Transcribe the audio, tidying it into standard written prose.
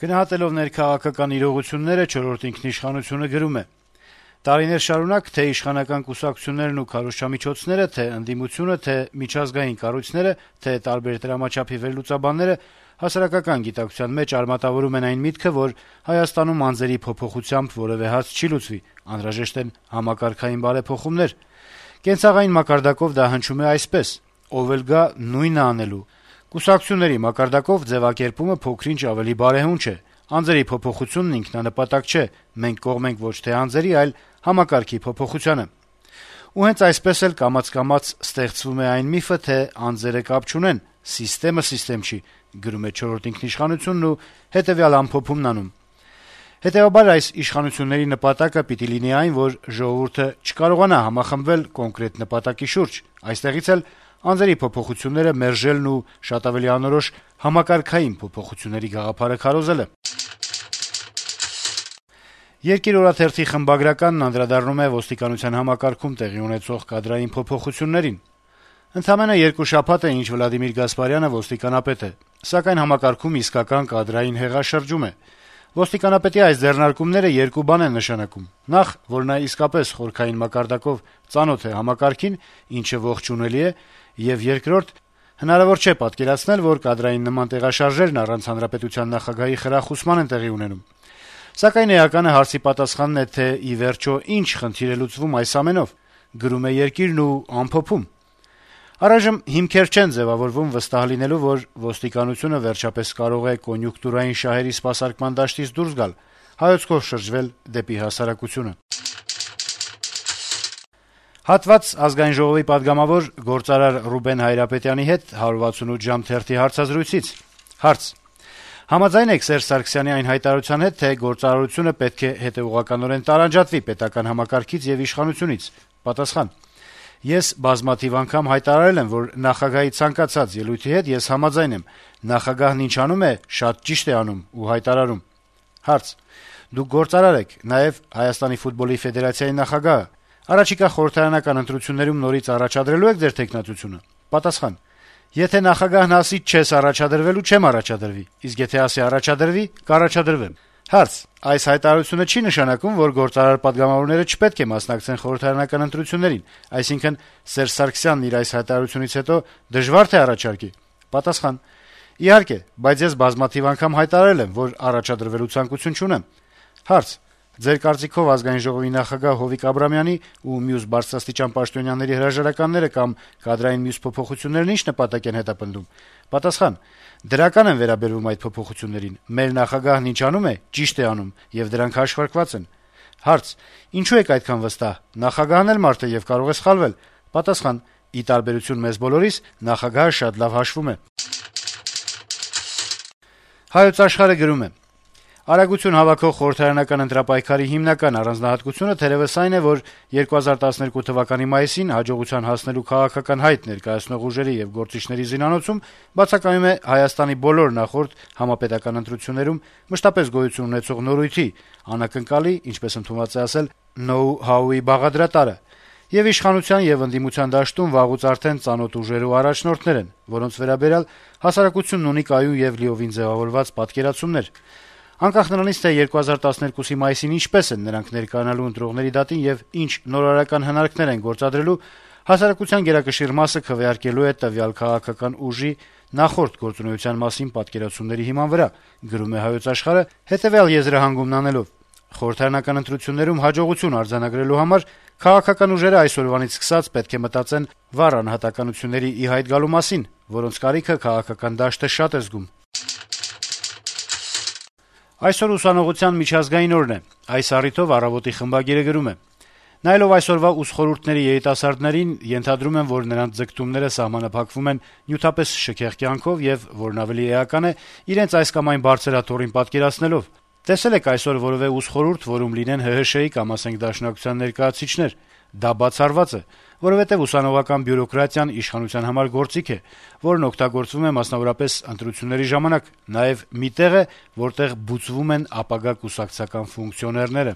Գնահատելով ներքաղաքական իրողությունները «Չորրորդ ինքնիշխանությունը» գրում է. տարիներ շարունակ թե իշխանական կուսակցություններն ու քարոզչամիջոցները, թե ընդդիմությունը, թե միջազգային կառույցները, թե տարբեր դրամաչափի վերլուծաբանները հասարակական գիտակցության մեջ արմատավորում են այն միտքը, որ Հայաստանում անձերի փոփոխությամբ որեւէ հարց չի լուծվի, անհրաժեշտ են համակարգային բարեփոխումներ։ Կենցաղային մակարդակով դա հնչում է այսպես. ով էլ գա նույնը անելու։ Կուսակցությունների մակարդակով ձեւակերպումը փոքր-ինչ ավելի բարեհունչ է։ Անձերի փոփոխությունն ինքնանպատակ չէ, մենք կողմ ենք ոչ թե անձերի, այլ համակարգի փոփոխությանը։ Ու հենց այսպես էլ կամաց-կամաց ստեղծվում է այն միֆը, թե անձերը կապ չունեն, սիստեմը սիստեմ չի, գրում է «Չորրորդ ինքնիշխանությունն» ու հետեւյալ ամփոփումն անում. Հետեւաբար այս իշխանությունների նպատակը պիտի լինի այն, որ ժողովուրդը չկարողանա համախմբվել կոնկրետ նպատակի շուրջ, այստեղից էլ անձերի փոփոխությունները մերժելն ու շատ ավելի անորոշ համակարգային փոփոխությունների գաղափարը քարոզելը։ Երկիր օրաթերթի խմբագրականն անդրադառնում է ոստիկանության համակարգում տեղի ունեցող կադրային փոփոխություններին. Ընդամենը 2 շաբաթ է, ինչ Վլադիմիր Գասպարյանը ոստիկանապետ է, սակայն համակարգում իսկական կադրային հեղաշրջում է։ Ոստիկանապետի այս ձեռնարկումները 2 բան են նշանակում. նախ, որ նա իսկապես խորքային մակարդակով ծանոթ է համակարգին, ինչը ողջունելի է, եւ երկրորդ, հնարավոր չէ պատկերացնել, որ կադրային նման տեղաշարժերն առանց հանրապետության նախագահի խրախուսման են տեղի ունենում։ Սակայն էականը հարցի պատասխանն է, թե ի վերջո ինչ խնդիր է լուծվում այս ամենով, գրում է Երկիրն ու ամփոփում. Առայժմ հիմքեր չեն ձեւավորվում վստահ լինելու, որ ոստիկանությունը վերջապես կարող է կոնյունկտուրային շահերի սպասարկման դաշտից դուրս գալ, հայացքով շրջվել դեպի հասարակությունը։ Հատված Ազգային ժողովի պատգամավոր գործարար Ռուբեն Հայրապետյանի հետ 168 ժամ թերթի հարցազրույցից։ Հարց. Համաձայն եք Սերժ Սարգսյանի այն հայտարարության հետ, թե գործարարությունը պետք է հետեւողականորեն տարանջատվի պետական համակարգից եւ իշխանությունից։ Պատասխան. Ես բազմաթիվ անգամ հայտարարել եմ, որ նախագահի ցանկացած ելույթի հետ ես համաձայն եմ։ Նախագահն ինչ անում է, շատ ճիշտ է անում ու հայտարարում։ Հարց. Դուք գործարար եք, նաեւ Հայաստանի ֆուտբոլի ֆեդերացիայի նախագահը։ Առաջիկա խորհրդարանական ընտրություններում նորից առաջադրելու եք ձեր թեկնածությունը։ Պատասխան. Եթե նախագահն ասի չես առաջադրվելու, չեմ առաջադրվի, իսկ եթե ասի առաջադրվի, կառաջադրվեմ։ Հարց. Այս հայտարարությունը չի նշանակում, որ գործարար պատգամավորները չպետք է մասնակցեն խորհրդարանական ընտրություններին, այսինքն Սերժ Սարգսյանն իր այս հայտարարությունից հետո դժվար թե առաջարկի։ Պատասխան. Իհարկե, բայց ես բազմաթիվ անգամ հայտարարել եմ, որ առաջադրվելու ցանկություն չունեմ։ Հարց. Ձեր կարծիքով Ազգային ժողովի նախագահ Հովիկ Աբրամյանի ու մյուս բարձրաստիճան պաշտոնյաների հրաժարականները կամ կադրային մյուս փոփոխություններն ինչ նպատակ են հետապնդում։ Պատասխան. Դրական են վերաբերվում այդ փոփոխություններին։ Մեր նախագահն ինչ անում է, ճիշտ է անում, եւ դրանք հաշվարկված են։ Հարց. Ինչու եք այդքան վստահ։ Նախագահն էլ մարդ է եւ կարող է սխալվել։ Պատասխան. Ի տարբերություն մեզ բոլորիս, նախագահը շատ լավ հաշվում է։ Հայոց Աշխարհը գրում է. Արագություն հավաքող խորհրդարանական ընտրապայքարի հիմնական առանձնահատկությունը թերևս այն է, որ 2012 թվականի մայիսին հաջողության հասնելու քաղաքական հայտ ներկայացնող ուժերի եւ գործիչների զինանոցում բացակայում է Հայաստանի բոլոր նախորդ համապետական ընտրություններում մշտապես գոյություն ունեցող նորույթի, անակնկալի, ինչպես ընդունված է ասել, know-how-ի բաղադրատարը, եւ իշխանության եւ ընդդիմության դաշտում վաղուց արդեն ծանոթ ուժեր ու առաջնորդներ են, որոնց վերաբերյալ հասարակությունն ունի կայուն եւ լիովին ձեւավորված պատկերացումներ։ Անկախ նրանից, թե 2012-ի մայիսին ինչպես են նրանք ներկայանալու ընտրողների դատին եւ ինչ նորարարական հնարքներ են գործադրելու, հասարակության գերակշիռ մասը քվեարկելու է տվյալ քաղաքական ուժի նախորդ գործունեության մասին պատկերացումների հիման վրա, գրում է Հայոց Աշխարհը, հետեւյալ եզրահանգումն անելով. խորհրդարանական ընտրություններում հաջողություն արձանագրելու համար քաղաքական ուժերը այսօրվանից սկսած պետք է մտածեն վառ անհատականությունների ի հայտ գալու մասին, որոնց կարիքը քաղաքական դաշտը շատ է զգում։ Այսօր ուսանողության միջազգային օրն է։ Այս առիթով «Առավոտ»-ի խմբագիրը գրում է. Նայելով այսօրվա ուսխորհուրդների երիտասարդներին, ենթադրում եմ, որ նրանց ձգտումները սահմանափակվում են նյութապես շքեղ կյանքով եւ, որն ավելի էական է, իրենց այս կամ այն բարձր աթոռին պատկերացնելով։ Տեսել եք այսօր որևէ ուսխորհուրդ, որում լինեն ՀՀՇ-ի կամ ասենք Դաշնակցության ներկայացուցիչներ։ Դա բացառված է, որովհետեւ ուսանողական բյուրոկրատիան իշխանության համար գործիք է, որն օգտագործվում է մասնավորապես ընտրությունների ժամանակ, նաեւ մի տեղ է, որտեղ բուծվում են ապագա կուսակցական ֆունկցիոներները։